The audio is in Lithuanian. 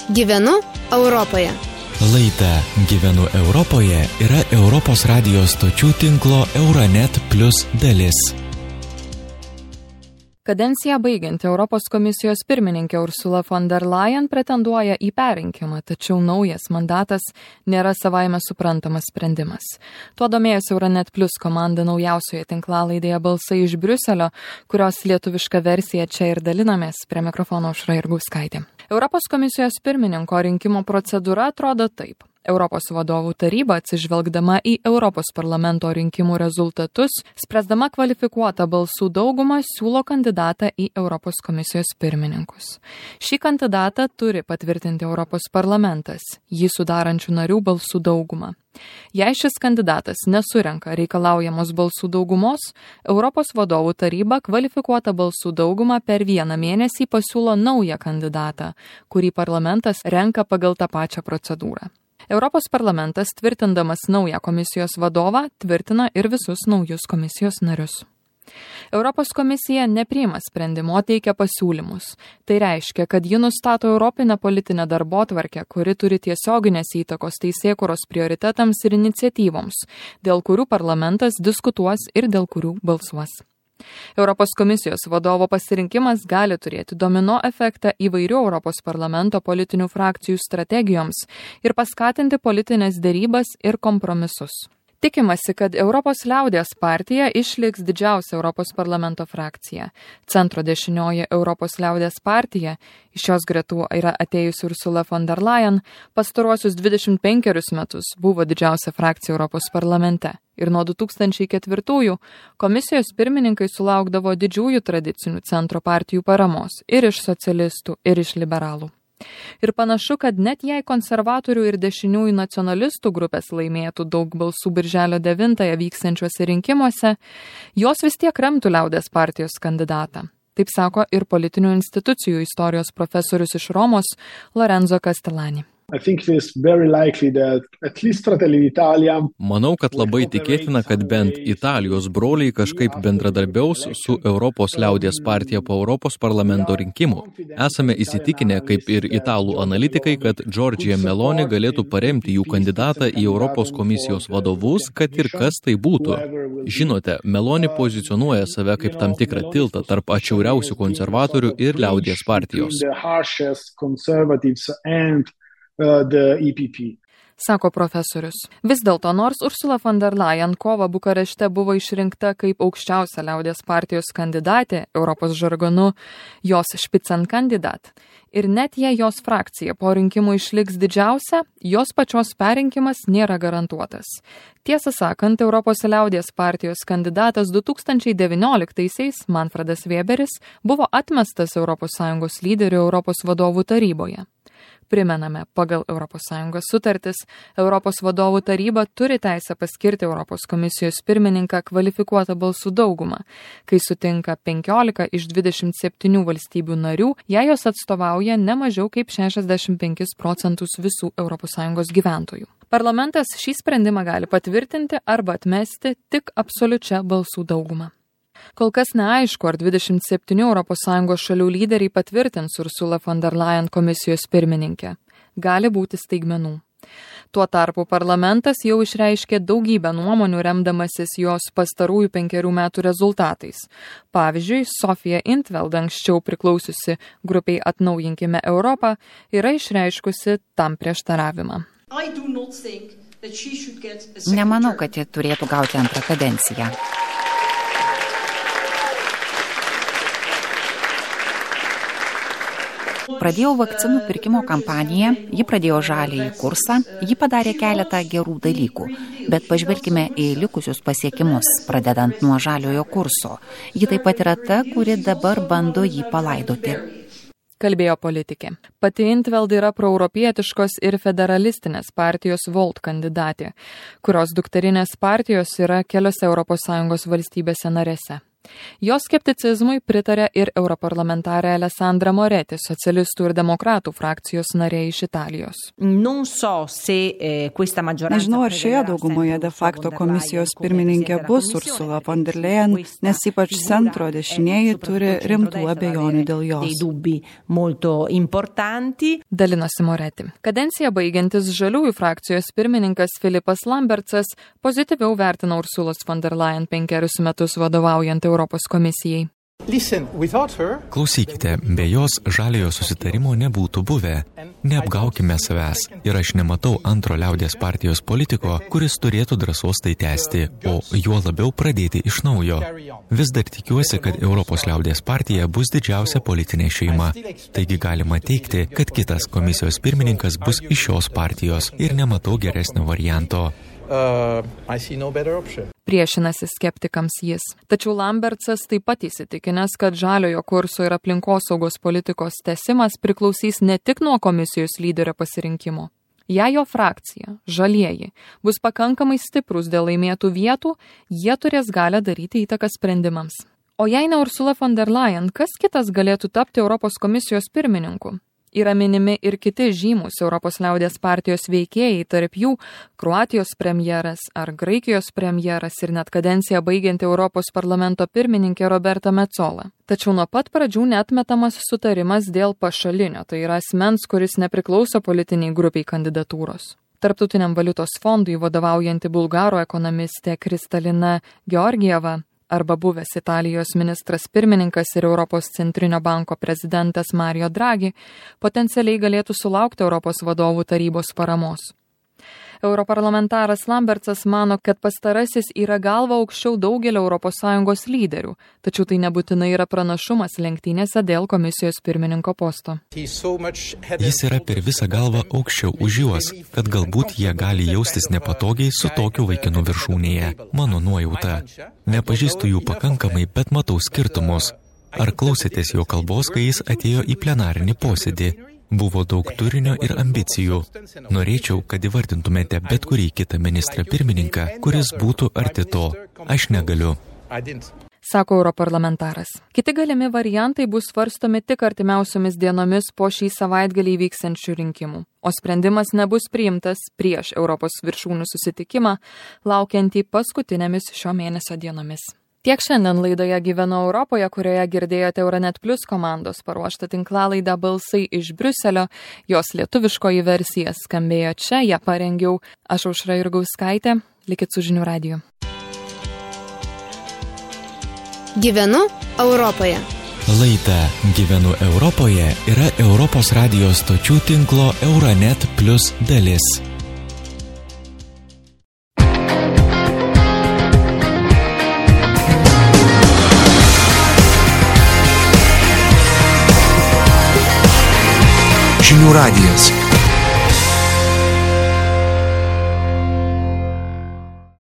Gyvenu Europoje. Laida Gyvenu Europoje yra Europos radijos stočių tinklo Euronet Plus dalis. Kadenciją baigianti Europos komisijos pirmininkė Ursula von der Leyen pretenduoja į perrinkimą, tačiau naujas mandatas nėra savaime suprantamas sprendimas. Tuo domėjosi Euronet Plus komanda naujausioje tinklalaidėje Balsai iš Briuselio, kurios lietuviška versija čia ir dalinamės. Prie mikrofono Aušra Jurgauskaitė. Europos komisijos pirmininko rinkimo procedūra atrodo taip. Europos vadovų taryba, atsižvelgdama į Europos parlamento rinkimų rezultatus, spręsdama kvalifikuotą balsų daugumą, siūlo kandidatą į Europos komisijos pirmininkus. Šį kandidatą turi patvirtinti Europos parlamentas, jį sudarančių narių balsų daugumą. Jei šis kandidatas nesurenka reikalaujamos balsų daugumos, Europos vadovų taryba kvalifikuotą balsų daugumą per vieną mėnesį pasiūlo naują kandidatą, kurį parlamentas renka pagal tą pačią procedūrą. Europos parlamentas, tvirtindamas naują komisijos vadovą, tvirtina ir visus naujus komisijos narius. Europos komisija nepriima sprendimo, o teikia pasiūlymus. Tai reiškia, kad ji nustato europinę politinę darbotvarkę, kuri turi tiesioginės įtakos teisėkūros prioritetams ir iniciatyvoms, dėl kurių parlamentas diskutuos ir dėl kurių balsuos. Europos komisijos vadovo pasirinkimas gali turėti domino efektą įvairių Europos parlamento politinių frakcijų strategijoms ir paskatinti politinės derybas ir kompromisus. Tikimasi, kad Europos liaudies partija išliks didžiausia Europos parlamento frakcija. Centro dešinioji Europos liaudies partija, iš jos gretų yra atėjusi Ursula von der Leyen, pastaruosius 25 metus buvo didžiausia frakcija Europos parlamente. Ir nuo 2004 komisijos pirmininkai sulaukdavo didžiųjų tradicinių centro partijų paramos ir iš socialistų, ir iš liberalų. Ir panašu, kad net jei konservatorių ir dešiniųjų nacionalistų grupės laimėtų daug balsų birželio 9 vyksiančiuose rinkimuose, jos vis tiek remtų liaudies partijos kandidatą. Taip sako ir politinių institucijų istorijos profesorius iš Romos Lorenzo Castellani. Manau, kad labai tikėtina, kad bent Italijos broliai kažkaip bendradarbiaus su Europos liaudies partija po Europos parlamento rinkimų. Esame įsitikinę, kaip ir italų analitikai, kad Giorgia Meloni galėtų paremti jų kandidatą į Europos komisijos vadovus, kad ir kas tai būtų. Žinote, Meloni pozicionuoja save kaip tam tikrą tiltą tarp atšiauriausių konservatorių ir liaudies partijos. Sako profesorius. Vis dėlto, nors Ursula von der Leyen kovą Bukarešte buvo išrinkta kaip aukščiausia liaudies partijos kandidatė, Europos žargonu jos spitzenkandidat, ir net jei jos frakcija po rinkimų išliks didžiausia, jos pačios perrinkimas nėra garantuotas. Tiesą sakant, Europos liaudies partijos kandidatas 2019-aisiais, Manfredas Weberis, buvo atmestas ES lyderių Europos vadovų taryboje. Primename, pagal ES sutartis, Europos vadovų taryba turi teisę paskirti Europos komisijos pirmininką kvalifikuotą balsų daugumą, kai sutinka 15 iš 27 valstybių narių, jei jos atstovauja ne mažiau kaip 65% visų ES gyventojų. Parlamentas šį sprendimą gali patvirtinti arba atmesti tik absoliučia balsų dauguma. Kol kas neaišku, ar 27 ES šalių lyderiai patvirtins Ursula von der Leyen komisijos pirmininkę. Gali būti staigmenų. Tuo tarpu parlamentas jau išreiškė daugybę nuomonių remdamasis jos pastarųjų 5 metų rezultatais. Pavyzdžiui, Sofija Intveld, anksčiau priklausiusi grupiai Atnaujinkime Europą, yra išreiškusi tam prieštaravimą. Nemanau, kad ji turėtų gauti antrą kadenciją. Pradėjau vakcinų pirkimo kampaniją, ji pradėjo žaliąjį kursą, ji padarė keletą gerų dalykų, bet pažvelkime į likusius pasiekimus, pradedant nuo žaliojo kurso. Ji taip pat yra ta, kuri dabar bando jį palaidoti. Kalbėjo politikė. Pati Intveld yra proeuropietiškos ir federalistinės partijos Volt kandidatė, kurios dukterinės partijos yra keliose ES valstybėse narėse. Jos skepticizmui pritarė ir europarlamentarė Alessandra Moretti, socialistų ir demokratų frakcijos narė iš Italijos. Nežinau, ar šioje daugumoje de facto komisijos pirmininkė bus Ursula von der Leyen, nes ypač centro dešinieji turi rimtų abejonių dėl jos. Dalinosi Moretti. Kadenciją baigiantis žaliųjų frakcijos pirmininkas Filipas Lambertsas pozityviau vertina Ursulos von der Leyen 5 metus vadovaujant Europos komisijai. Klausykite, be jos žaliojo susitarimo nebūtų buvę. Neapgaukime savęs ir aš nematau antro liaudies partijos politiko, kuris turėtų drąsos tai tęsti, o juo labiau pradėti iš naujo. Vis dar tikiuosi, kad Europos liaudies partija bus didžiausia politinė šeima. Taigi galima teigti, kad kitas komisijos pirmininkas bus iš šios partijos ir nematau geresnio varianto. Priešinasi skeptikams jis. Tačiau Lambertsas taip pat įsitikinęs, kad žaliojo kurso ir aplinkosaugos politikos tęsimas priklausys ne tik nuo komisijos lyderio pasirinkimo. Jei jo frakcija, žalieji, bus pakankamai stiprus dėl laimėtų vietų, jie turės galią daryti įtaką sprendimams. O jei ne Ursula von der Leyen, kas kitas galėtų tapti Europos komisijos pirmininku? Yra minimi ir kiti žymus Europos liaudies partijos veikėjai, tarp jų Kroatijos premjeras ar Graikijos premjeras ir net kadenciją baigianti Europos parlamento pirmininkė Roberta Metsola. Tačiau nuo pat pradžių neatmetamas sutarimas dėl pašalinio, tai yra asmens, kuris nepriklauso politiniai grupiai kandidatūros. Tarptautiniam valiutos fondui vadovaujanti bulgaro ekonomistė Kristalina Georgieva arba buvęs Italijos ministras pirmininkas ir Europos centrinio banko prezidentas Mario Draghi potencialiai galėtų sulaukti Europos vadovų tarybos paramos. Europarlamentaras Lambertsas mano, kad pastarasis yra galva aukščiau daugelio ES lyderių, tačiau tai nebūtinai yra pranašumas lenktynėse dėl komisijos pirmininko posto. Jis yra per visą galvą aukščiau už juos, kad galbūt jie gali jaustis nepatogiai su tokiu vaikinu viršūnėje. Mano nuojauta. Nepažįstu jų pakankamai, bet matau skirtumus. Ar klausėtės jo kalbos, kai jis atėjo į plenarinį posėdį? Buvo daug turinio ir ambicijų. Norėčiau, kad įvardintumėte bet kurį kitą ministrą pirmininką, kuris būtų arti to. Aš negaliu. Sako europarlamentaras. Kiti galimi variantai bus svarstomi tik artimiausiomis dienomis po šį savaitgalį vyksiančių rinkimų. O sprendimas nebus priimtas prieš Europos viršūnių susitikimą, laukiantį paskutinėmis šio mėnesio dienomis. Tiek šiandien laidoje Gyvenu Europoje, kurioje girdėjote Euronet Plus komandos paruoštą tinklalaidą Balsai iš Briuselio. Jos lietuviškoji versija skambėjo čia, ją parengiau aš Aušra Jurgauskaitė. Likit su Žinių radiju. Gyvenu Europoje. Laida Gyvenu Europoje yra Europos radijos stočių tinklo Euronet Plus dalis. Žinių radijas.